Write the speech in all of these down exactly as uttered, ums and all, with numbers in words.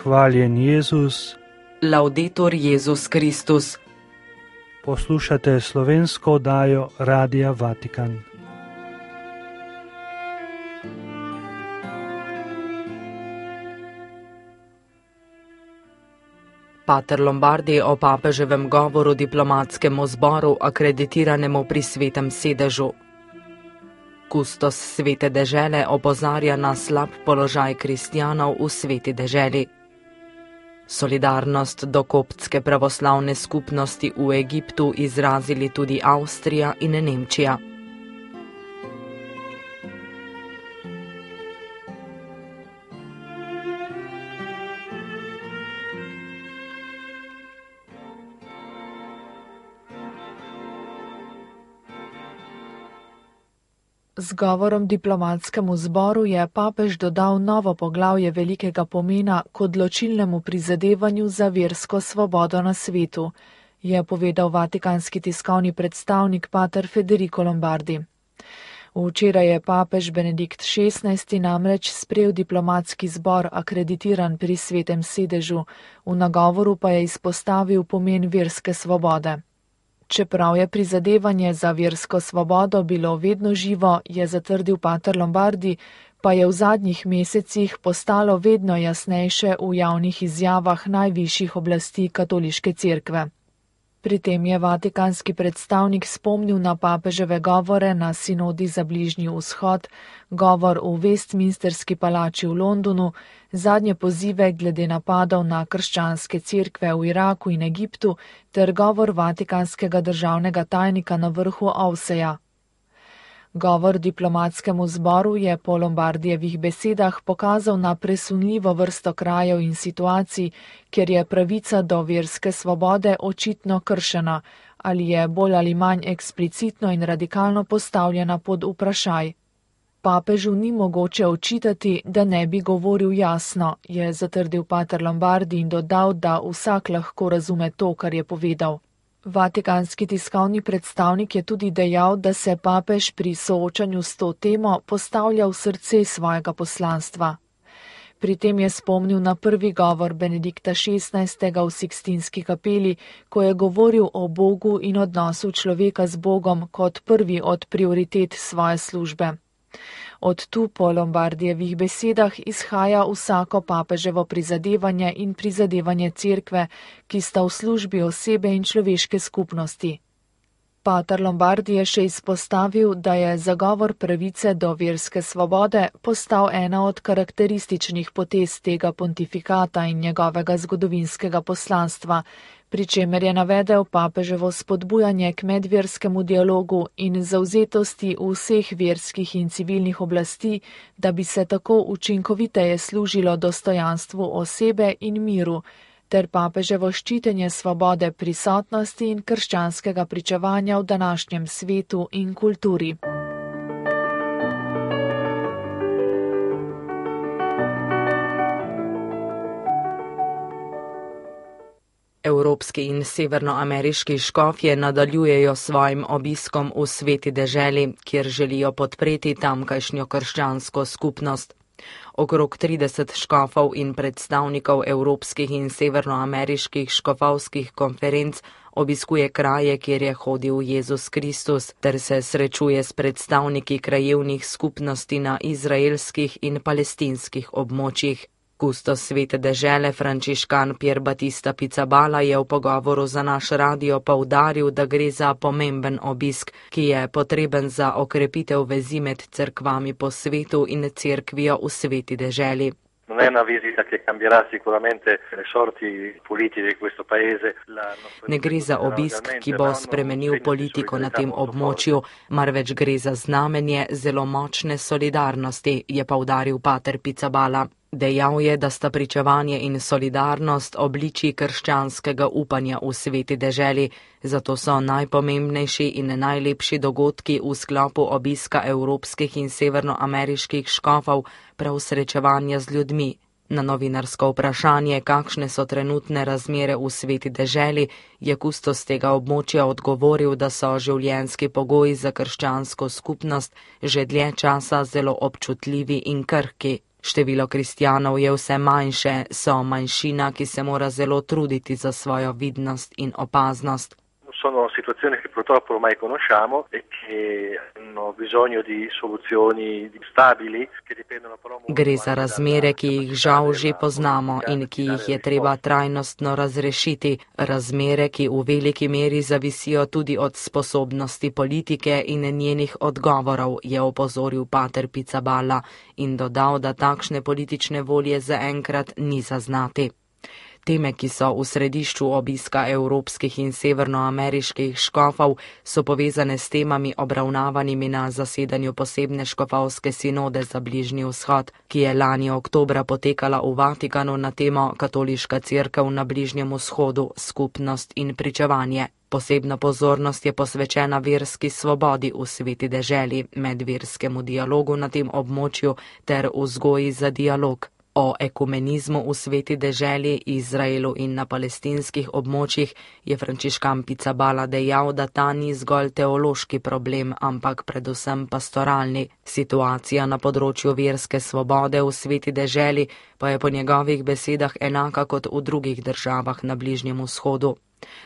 Hvaljen Jezus. Laudetur Jezus Kristus. Poslušate slovensko oddajo Radia Vatikan. Pater Lombardi o papeževem govoru diplomatskemu zboru, akreditiranemu pri Svetem sedežu. Kustos Svete dežele opozarja na slab položaj kristjanov v Sveti deželi. Solidarnost do koptske pravoslavne skupnosti v Egiptu izrazili tudi Avstrija in Nemčija. Z govorom diplomatskemu zboru je papež dodal novo poglavje velikega pomena k odločilnemu prizadevanju za versko svobodo na svetu, je povedal vatikanski tiskovni predstavnik pater Federico Lombardi. Včeraj je papež Benedikt šestnajsti namreč sprejel diplomatski zbor akreditiran pri Svetem sedežu, v nagovoru pa je izpostavil pomen verske svobode. Čeprav je prizadevanje za versko svobodo bilo vedno živo, je zatrdil pater Lombardi, pa je v zadnjih mesecih postalo vedno jasnejše v javnih izjavah najvišjih oblasti katoliške cerkve. Pri tem je vatikanski predstavnik spomnil na papeževe govore na sinodi za Bližnji vzhod, govor v Westminsterski palači v Londonu, zadnje pozive glede napadov na krščanske cerkve v Iraku in Egiptu ter govor vatikanskega državnega tajnika na vrhu Ovseja. Govor diplomatskemu zboru je po Lombardijevih besedah pokazal na presunljivo vrsto krajev in situacij, kjer je pravica do verske svobode očitno kršena ali je bolj ali manj eksplicitno in radikalno postavljena pod vprašaj. Papežu ni mogoče očitati, da ne bi govoril jasno, je zatrdil pater Lombardi in dodal, da vsak lahko razume to, kar je povedal. Vatikanski tiskovni predstavnik je tudi dejal, da se papež pri soočanju s to temo postavlja v srce svojega poslanstva. Pri tem je spomnil na prvi govor Benedikta šestnajstega v Sikstinski kapeli, ko je govoril o Bogu in odnosu človeka z Bogom kot prvi od prioritet svoje službe. Od tu po Lombardijevih besedah izhaja vsako papeževo prizadevanje in prizadevanje cerkve, ki sta v službi osebe in človeške skupnosti. Pater Lombardi je še izpostavil, da je zagovor pravice do verske svobode postal ena od karakterističnih potez tega pontifikata in njegovega zgodovinskega poslanstva, pri čemer je navedel papeževo spodbujanje k medverskemu dialogu in zavzetosti vseh verskih in civilnih oblasti, da bi se tako učinkoviteje služilo dostojanstvu osebe in miru, ter papeževo ščitenje svobode prisotnosti in krščanskega pričevanja v današnjem svetu in kulturi. Evropski in severnoameriški škofje nadaljujejo svojim obiskom v Sveti deželi, kjer želijo podpreti tamkajšnjo krščansko skupnost. Okrog trideset škofov in predstavnikov evropskih in severnoameriških škofovskih konferenc obiskuje kraje, kjer je hodil Jezus Kristus, ter se srečuje s predstavniki krajevnih skupnosti na izraelskih in palestinskih območjih. Kustos Svete dežele Frančiškan Pier Battista Pizzaballa je v pogovoru za naš radio poudaril, da gre za pomemben obisk, ki je potreben za okrepitev vezi med cerkvami po svetu in cerkvijo v Sveti deželi. Non è una visita che cambierà sicuramente le sorti politiche di questo paese. Ne gre za obisk, ki bo spremenil politiko na tem območju, marveč gre za znamenje zelo močne solidarnosti, je poudaril pater Pizzaballa. Dejal je, da sta pričevanje in solidarnost obličji krščanskega upanja v Sveti deželi, zato so najpomembnejši in najlepši dogodki v sklopu obiska evropskih in severnoameriških škofov prav srečevanja z ljudmi. Na novinarsko vprašanje, kakšne so trenutne razmere v Sveti deželi, je kustos tega območja odgovoril, da so življenjski pogoji za krščansko skupnost že dlje časa zelo občutljivi in krhki. Število kristjanov je vse manjše, so manjšina, ki se mora zelo truditi za svojo vidnost in opaznost. Sono situazioni che purtroppo ormai conosciamo e che hanno bisogno di soluzioni stabili che dipendono però molto. Gre za razmere, ki jih žal že poznamo in ki jih je treba trajnostno razrešiti, razmere, ki v veliki meri zavisijo tudi od sposobnosti politike in njenih odgovorov, je opozoril pater Pizzaballa in dodal, da takšne politične volje zaenkrat ni zaznati. Teme, ki so v središču obiska evropskih in severnoameriških škofov, so povezane s temami obravnavanimi na zasedanju posebne škofovske sinode za Bližnji vzhod, ki je lani oktobra potekala v Vatikanu na temo Katoliška cerkev na Bližnjem vzhodu, skupnost in pričevanje. Posebna pozornost je posvečena verski svobodi v sveti deželi, medverskemu dialogu na tem območju ter vzgoji za dialog. O ekumenizmu v sveti deželi, Izraelu in na palestinskih območjih je Frančiškan Pizzaballa dejal, da ta ni zgolj teološki problem, ampak predvsem pastoralni. Situacija na področju verske svobode v sveti deželi pa je po njegovih besedah enaka kot v drugih državah na Bližnjem vzhodu.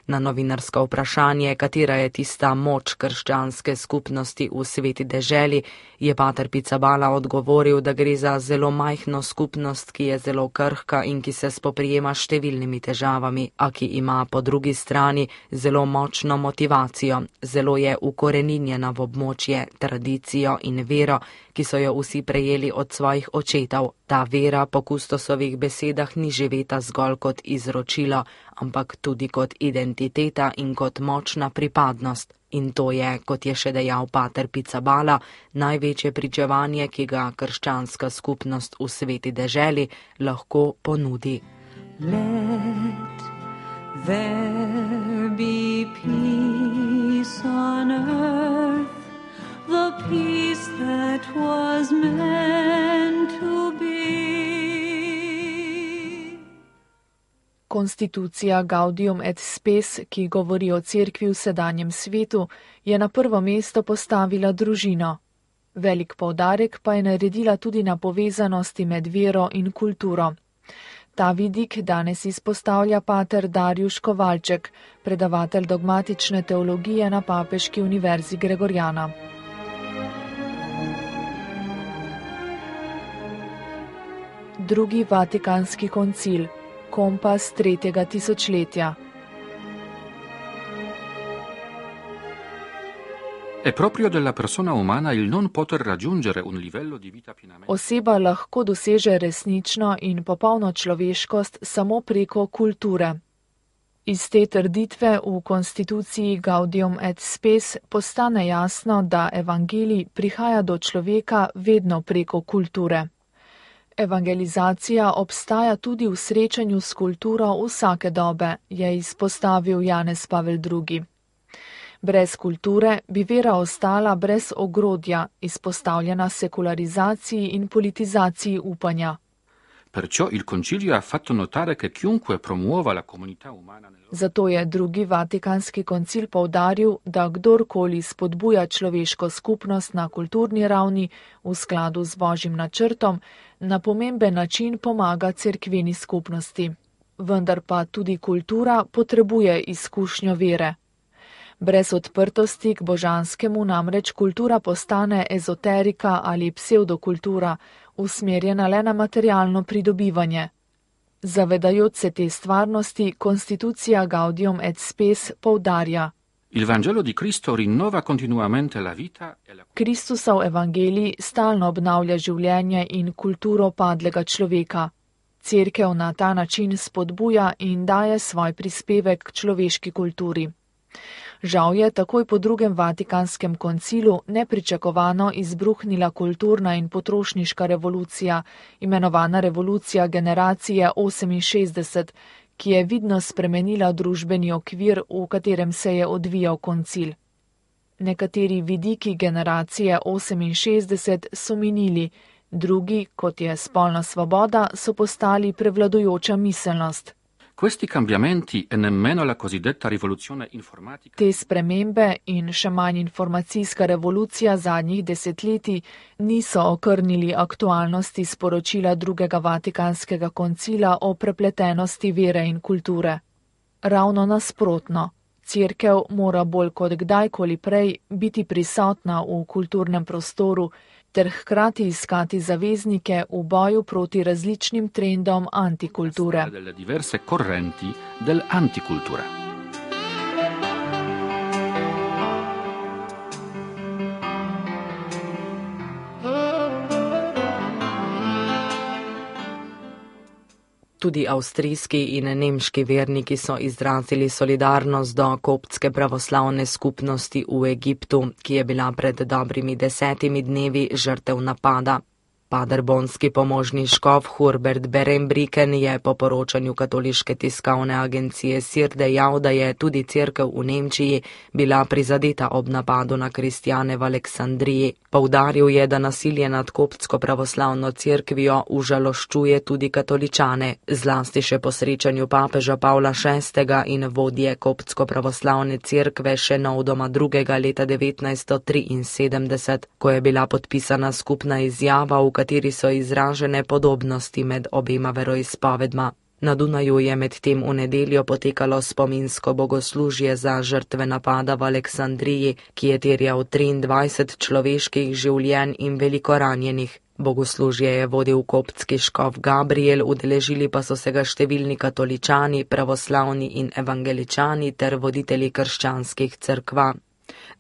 Na novinarsko vprašanje, katera je tista moč krščanske skupnosti v sveti deželi, je pater Pizzaballa odgovoril, da gre za zelo majhno skupnost, ki je zelo krhka in ki se spoprijema s številnimi težavami, a ki ima po drugi strani zelo močno motivacijo, zelo je ukoreninjena v območje, tradicijo in vero, ki so jo vsi prejeli od svojih očetov. Ta vera po Kustosovih besedah ni živeta zgolj kot izročilo, ampak tudi kot identiteta in kot močna pripadnost. In to je, kot je še dejal pater Pizzaballa, največje pričevanje, ki ga krščanska skupnost v sveti deželi lahko ponudi. Let there be peace on earth, the peace that was meant to be. Konstitucija Gaudium et Spes, ki govori o cerkvi v sedanjem svetu, je na prvo mesto postavila družino. Velik poudarek pa je naredila tudi na povezanosti med vero in kulturo. Ta vidik danes izpostavlja pater Darjuš Kovalček, predavatelj dogmatične teologije na Papeški univerzi Gregorjana. Drugi Vatikanski koncil. Kompas tretjega tisočletja. È proprio della persona umana il non poter raggiungere un livello di vita pienamente. Oseba lahko doseže resnično in popolno človeškost samo preko kulture. Iz te trditve v konstituciji Gaudium et Spes postane jasno, da evangelij prihaja do človeka vedno preko kulture. Evangelizacija obstaja tudi v srečanju s kulturo vsake dobe, je izpostavil Janez Pavel drugi. Brez kulture bi vera ostala brez ogrodja, izpostavljena sekularizaciji in politizaciji upanja. Perciò il concilio ha fatto notare che chiunque promuova la comunità umana nel... Zato je drugi Vatikanski koncil poudaril, da kdorkoli spodbuja človeško skupnost na kulturni ravni v skladu z Božjim načrtom, na pomemben način pomaga cerkveni skupnosti. Vendar pa tudi kultura potrebuje izkušnjo vere. Brez odprtosti k božanskemu namreč kultura postane ezoterika ali psevdokultura, usmerjena le na materialno pridobivanje. Zavedajoč se te stvarnosti, konstitucija Gaudium et Spes poudarja. Il Vangelo di Cristo rinnova continuamente la vita e la... Kristusov evangelij stalno obnavlja življenje in kulturo padlega človeka. Cerkev na ta način spodbuja in daje svoj prispevek k človeški kulturi. Žal je takoj po drugem Vatikanskem koncilu nepričakovano izbruhnila kulturna in potrošniška revolucija, imenovana revolucija generacije oseminšestdeset, ki je vidno spremenila družbeni okvir, v katerem se je odvijal koncil. Nekateri vidiki generacije oseminšestdeset so minili, drugi, kot je spolna svoboda, so postali prevladujoča miselnost. Questi cambiamenti e nemmeno la cosiddetta rivoluzione informatica. Te spremembe in še manj informacijska revolucija zadnjih desetletij niso okrnili aktualnosti sporočila drugega Vatikanskega koncila o prepletenosti vere in kulture. Ravno nasprotno, Cerkev mora bolj kot kdajkoli prej biti prisotna v kulturnem prostoru ter hkrati iskati zaveznike v boju proti različnim trendom antikulture. Delle diverse correnti dell'anticultura. Tudi avstrijski in nemški verniki so izrazili solidarnost do koptske pravoslavne skupnosti v Egiptu, ki je bila pred dobrimi desetimi dnevi žrtev napada. Paderbonski pomožni škof Hurbert Berembriken je po poročanju katoliške tiskovne agencije S I R dejal, da je tudi cerkev v Nemčiji bila prizadeta ob napadu na kristjane v Aleksandriji. Poudaril je, da nasilje nad koptsko pravoslavno cerkvijo užaloščuje tudi katoličane, zlasti še po srečanju papeža Pavla šestega in vodje koptsko pravoslavne cerkve še novdoma drugega leta devetnajststo triinsedemdeset, ko je bila podpisana skupna izjava, v kateri so izražene podobnosti med obema veroizpovedma. Na Dunaju je medtem v nedeljo potekalo spominsko bogoslužje za žrtve napada v Aleksandriji, ki je terjal triindvajset človeških življenj in veliko ranjenih. Bogoslužje je vodil koptski škof Gabriel, udeležili pa so se ga številni katoličani, pravoslavni in evangeličani ter voditelji krščanskih cerkva.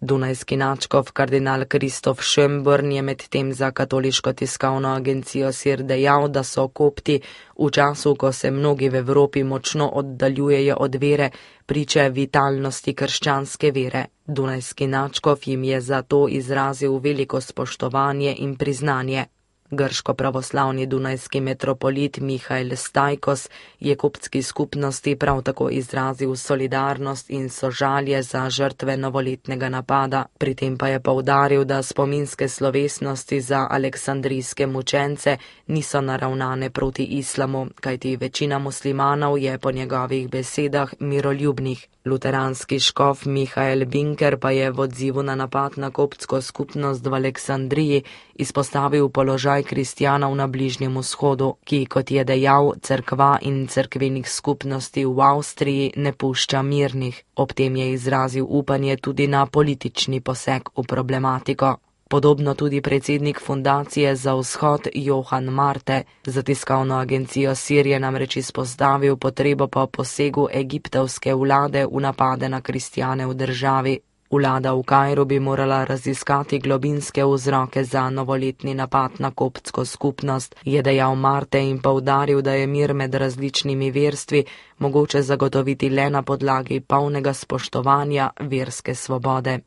Dunajski nadškof kardinal Kristof Schönborn je medtem za katoliško tiskovno agencijo S I R dejal, da so kopti v času, ko se mnogi v Evropi močno oddaljujejo od vere, priče vitalnosti krščanske vere. Dunajski nadškof jim je zato izrazil veliko spoštovanje in priznanje. Grško-pravoslavni dunajski metropolit Mihael Stajkos je koptski skupnosti prav tako izrazil solidarnost in sožalje za žrtve novoletnega napada. Pri tem pa je poudaril, da spominske slovesnosti za aleksandrijske mučence niso naravnane proti islamu, kajti večina muslimanov je po njegovih besedah miroljubnih. Luteranski škof Mihael Winker pa je v odzivu na napad na koptsko skupnost v Aleksandriji izpostavil položaj kristjanov na Bližnjem vzhodu, ki, kot je dejal, cerkva in cerkvenih skupnosti v Avstriji ne pušča mirnih. Ob tem je izrazil upanje tudi na politični poseg v problematiko. Podobno tudi predsednik fundacije za vzhod Johan Marte. Za tiskovno agencijo S I R je namreč izpostavil potrebo po posegu egiptovske vlade v napade na kristjane v državi. Vlada v Kairu bi morala raziskati globinske vzroke za novoletni napad na koptsko skupnost, je dejal Marte in poudaril, da je mir med različnimi verstvi mogoče zagotoviti le na podlagi polnega spoštovanja verske svobode.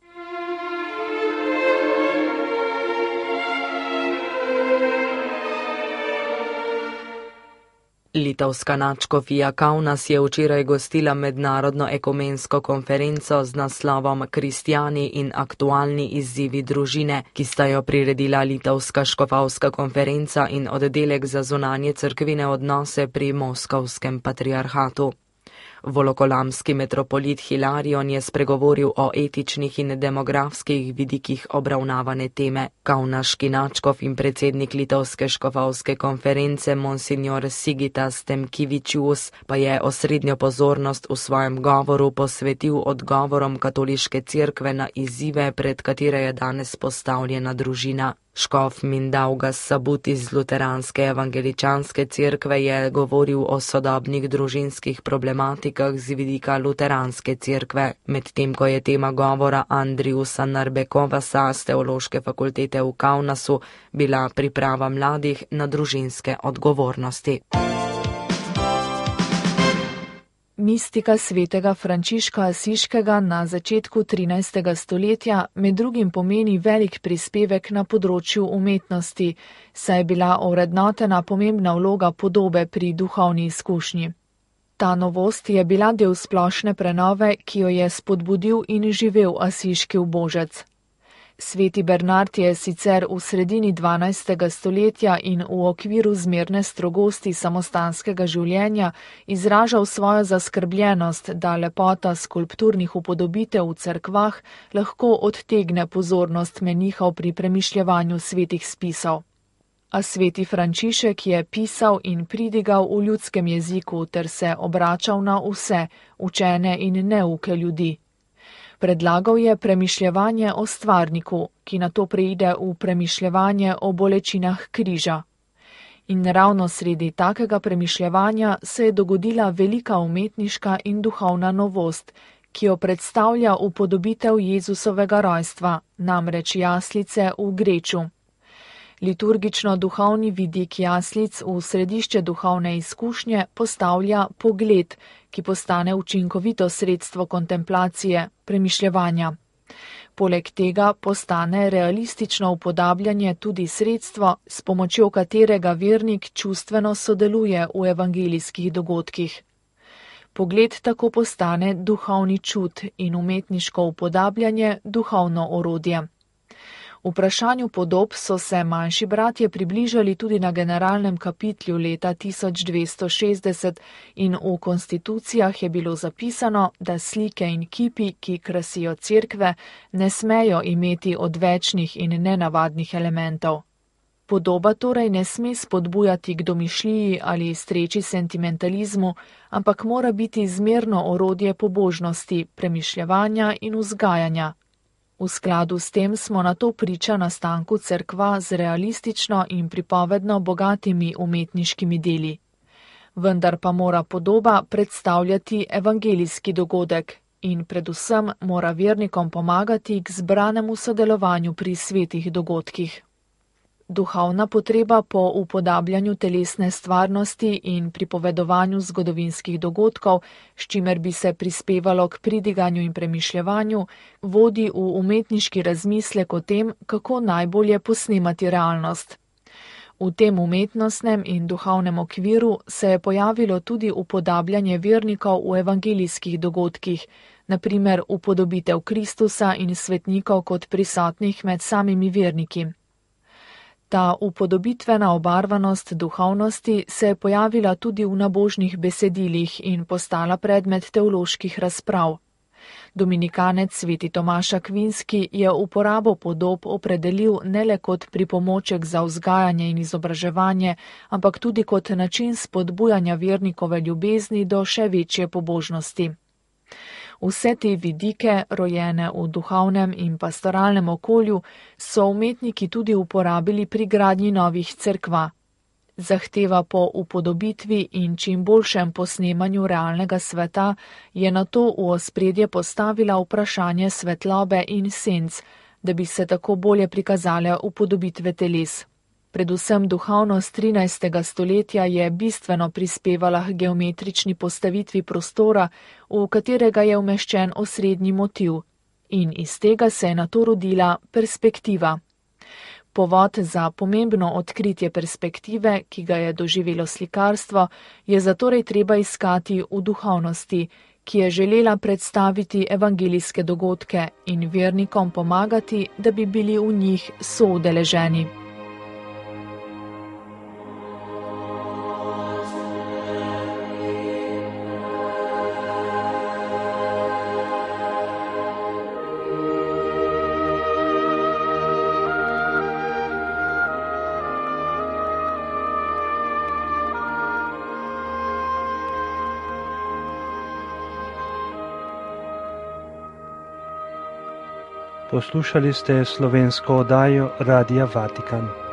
Litovska nadškofija Kaunas je včeraj gostila mednarodno ekumensko konferenco z naslovom Kristjani in aktualni izzivi družine, ki sta jo priredila Litovska škofovska konferenca in oddelek za zunanje cerkvene odnose pri Moskovskem patriarhatu. Volokolamski metropolit Hilarion je spregovoril o etičnih in demografskih vidikih obravnavane teme. Kaunaški nadškof in predsednik Litovske škofovske konference Monsignor Sigitas Temkivičius pa je osrednjo pozornost v svojem govoru posvetil odgovorom katoliške cerkve na izzive, pred katere je danes postavljena družina. Škof Mindaugas Sabut iz luteranske evangeličanske cerkve je govoril o sodobnih družinskih problematikah z vidika luteranske cerkve, medtem ko je tema govora Andriusa Narbekovasa z teološke fakultete v Kaunasu bila priprava mladih na družinske odgovornosti. Mistika svetega Frančiška Asiškega na začetku trinajstega stoletja med drugim pomeni velik prispevek na področju umetnosti, saj je bila ovrednotena pomembna vloga podobe pri duhovni izkušnji. Ta novost je bila del splošne prenove, ki jo je spodbudil in živel asiški ubožec. Sveti Bernard je sicer v sredini dvanajstega stoletja in v okviru zmerne strogosti samostanskega življenja izražal svojo zaskrbljenost, da lepota skulpturnih upodobitev v cerkvah lahko odtegne pozornost menihov pri premišljevanju svetih spisov. A sveti Frančišek je pisal in pridigal v ljudskem jeziku ter se obračal na vse, učene in neuke ljudi. Predlagal je premišljevanje o stvarniku, ki nato preide v premišljevanje o bolečinah križa. In ravno sredi takega premišljevanja se je dogodila velika umetniška in duhovna novost, ki jo predstavlja upodobitev Jezusovega rojstva, namreč jaslice v Greču. Liturgično-duhovni vidik jaslic v središče duhovne izkušnje postavlja pogled, ki postane učinkovito sredstvo kontemplacije, premišljevanja. Poleg tega postane realistično upodabljanje tudi sredstvo, s pomočjo katerega vernik čustveno sodeluje v evangelijskih dogodkih. Pogled tako postane duhovni čut in umetniško upodabljanje duhovno orodje. V vprašanju podob so se manjši bratje približali tudi na generalnem kapitlju leta tisoč dvesto šestdeset in v konstitucijah je bilo zapisano, da slike in kipi, ki krasijo cerkve, ne smejo imeti odvečnih in nenavadnih elementov. Podoba torej ne sme spodbujati k domišljiji ali streči sentimentalizmu, ampak mora biti zmerno orodje pobožnosti, premišljevanja in vzgajanja. V skladu s tem smo na to priča nastanku cerkva z realistično in pripovedno bogatimi umetniškimi deli. Vendar pa mora podoba predstavljati evangelijski dogodek in predvsem mora vernikom pomagati k zbranemu sodelovanju pri svetih dogodkih. Duhovna potreba po upodabljanju telesne stvarnosti in pripovedovanju zgodovinskih dogodkov, s čimer bi se prispevalo k pridiganju in premišljevanju, vodi v umetniški razmislek o tem, kako najbolje posnemati realnost. V tem umetnostnem in duhovnem okviru se je pojavilo tudi upodabljanje vernikov v evangelijskih dogodkih, na primer upodobitev Kristusa in svetnikov kot prisotnih med samimi verniki. Ta upodobitvena obarvanost duhovnosti se je pojavila tudi v nabožnih besedilih in postala predmet teoloških razprav. Dominikanec sveti Tomaš Akvinski je uporabo podob opredelil ne le kot pripomoček za vzgajanje in izobraževanje, ampak tudi kot način spodbujanja vernikove ljubezni do še večje pobožnosti. Vse te vidike, rojene v duhovnem in pastoralnem okolju, so umetniki tudi uporabili pri gradnji novih cerkva. Zahteva po upodobitvi in čim boljšem posnemanju realnega sveta je nato v ospredje postavila vprašanje svetlobe in senc, da bi se tako bolje prikazale upodobitve teles. Predvsem duhovnost trinajstega stoletja je bistveno prispevala k geometrični postavitvi prostora, v katerega je umeščen osrednji motiv, in iz tega se je nato rodila perspektiva. Povod za pomembno odkritje perspektive, ki ga je doživelo slikarstvo, je zatorej treba iskati v duhovnosti, ki je želela predstaviti evangelijske dogodke in vernikom pomagati, da bi bili v njih soudeleženi. Poslušali ste slovensko oddajo Radia Vatikan.